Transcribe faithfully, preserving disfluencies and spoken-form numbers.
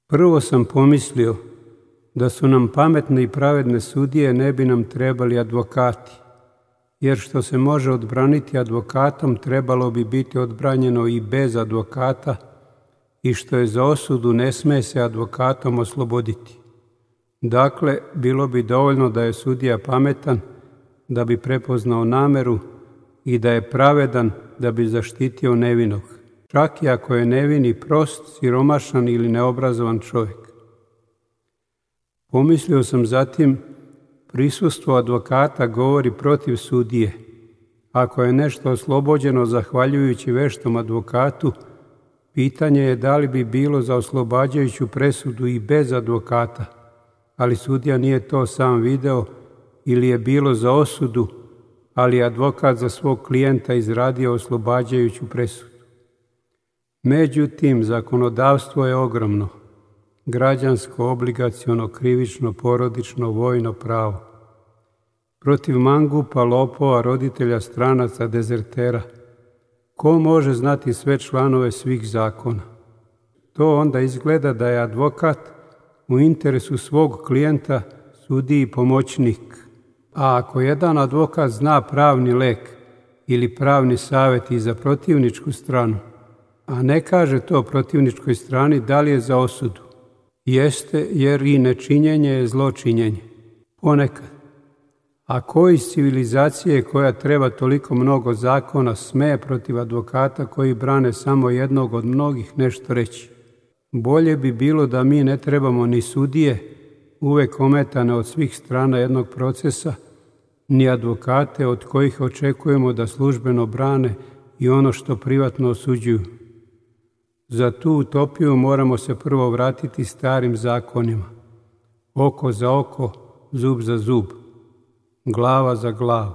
Prvo sam pomislio da su nam pametne i pravedne sudije, ne bi nam trebali advokati, jer što se može odbraniti advokatom trebalo bi biti odbranjeno i bez advokata, i što je za osudu ne sme se advokatom osloboditi. Dakle, bilo bi dovoljno da je sudija pametan da bi prepoznao nameru i da je pravedan da bi zaštitio nevinog, čak i ako je nevini prost, siromašan ili neobrazovan čovjek. Pomislio sam zatim, prisustvo advokata govori protiv sudije. Ako je nešto oslobođeno zahvaljujući veštom advokatu, pitanje je da li bi bilo za oslobađajuću presudu i bez advokata, ali sudija nije to sam video, ili je bilo za osudu, ali je advokat za svog klijenta izradio oslobađajuću presudu. Međutim, zakonodavstvo je ogromno. Građansko, obligaciono, krivično, porodično, vojno pravo. Protiv mangupa, lopova, roditelja, stranaca, dezertera. Ko može znati sve članove svih zakona? To onda izgleda da je advokat u interesu svog klijenta sudiji pomoćnik. A ako jedan advokat zna pravni lek ili pravni savjet i za protivničku stranu, a ne kaže to protivničkoj strani, da li je za osudu? Jeste, jer i nečinjenje je zločinjenje. Ponekad. A ko iz civilizacije koja treba toliko mnogo zakona sme protiv advokata koji brane samo jednog od mnogih nešto reći? Bolje bi bilo da mi ne trebamo ni sudije, uvek ometane od svih strana jednog procesa, ni advokate od kojih očekujemo da službeno brane i ono što privatno osuđuju. Za tu utopiju moramo se prvo vratiti starim zakonima. Oko za oko, zub za zub, glava za glavu.